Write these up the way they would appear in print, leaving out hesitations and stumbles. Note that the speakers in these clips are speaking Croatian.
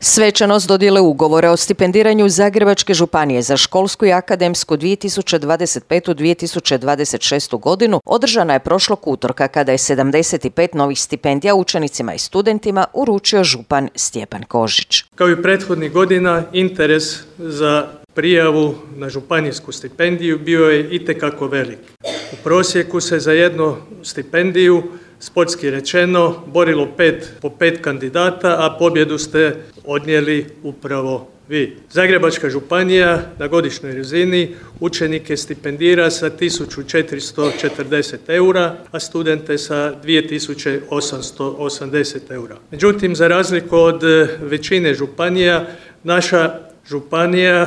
Svečanost dodjele ugovora o stipendiranju Zagrebačke županije za školsku i akademsku 2025-2026. godinu održana je prošlog utorka kada je 75 novih stipendija učenicima i studentima uručio župan Stjepan Kožić. Kao i prethodnih godina, interes za prijavu na županijsku stipendiju bio je itekako velik. U prosjeku se za jednu stipendiju, sportski rečeno, borilo po 5 kandidata, a pobjedu ste odnijeli upravo vi. Zagrebačka županija na godišnjoj razini učenike stipendira sa 1440 eura, a studente sa 2880 eura. Međutim, za razliku od većine županija, naša županija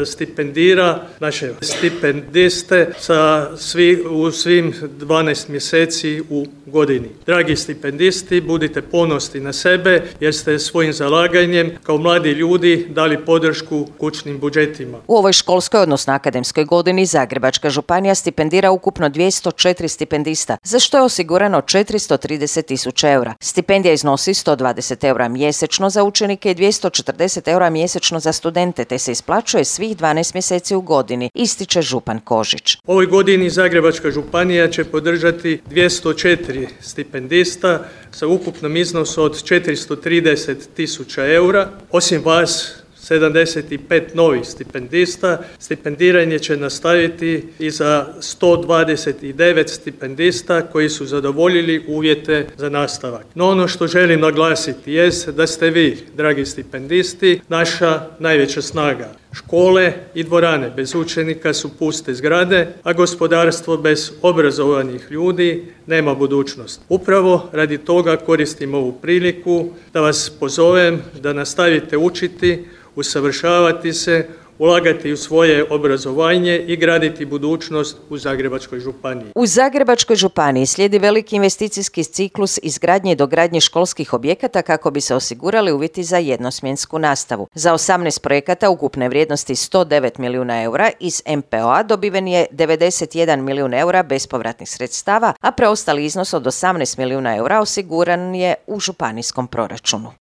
stipendira naše stipendiste u svim 12 mjeseci u godini. Dragi stipendisti, budite ponosni na sebe jer ste svojim zalaganjem kao mladi ljudi dali podršku kućnim budžetima. U ovoj školskoj, odnosno akademskoj godini, Zagrebačka županija stipendira ukupno 204 stipendista, za što je osigurano 430.000 eura. Stipendija iznosi 120 eura mjesečno za učenike i 240 eura mjesečno za studente, te se isplaćuje svih 12 mjeseci u godini, ističe župan Kožić. U ovoj godini Zagrebačka županija će podržati 204 stipendista sa ukupnom iznosu od 430.000 eura. Osim vas, 75 novih stipendista. Stipendiranje će nastaviti i za 129 stipendista koji su zadovoljili uvjete za nastavak. No ono što želim naglasiti jest da ste vi, dragi stipendisti, naša najveća snaga. Škole i dvorane bez učenika su puste zgrade, a gospodarstvo bez obrazovanih ljudi nema budućnost. Upravo radi toga koristim ovu priliku da vas pozovem da nastavite učiti, usavršavati se, ulagati u svoje obrazovanje i graditi budućnost u Zagrebačkoj županiji. U Zagrebačkoj županiji slijedi veliki investicijski ciklus izgradnje i dogradnje školskih objekata kako bi se osigurali uvjeti za jednosmjensku nastavu. Za 18 projekata ukupne vrijednosti 109 milijuna eura iz MPO-a dobiven je 91 milijun eura bespovratnih sredstava, a preostali iznos od 18 milijuna eura osiguran je u županijskom proračunu.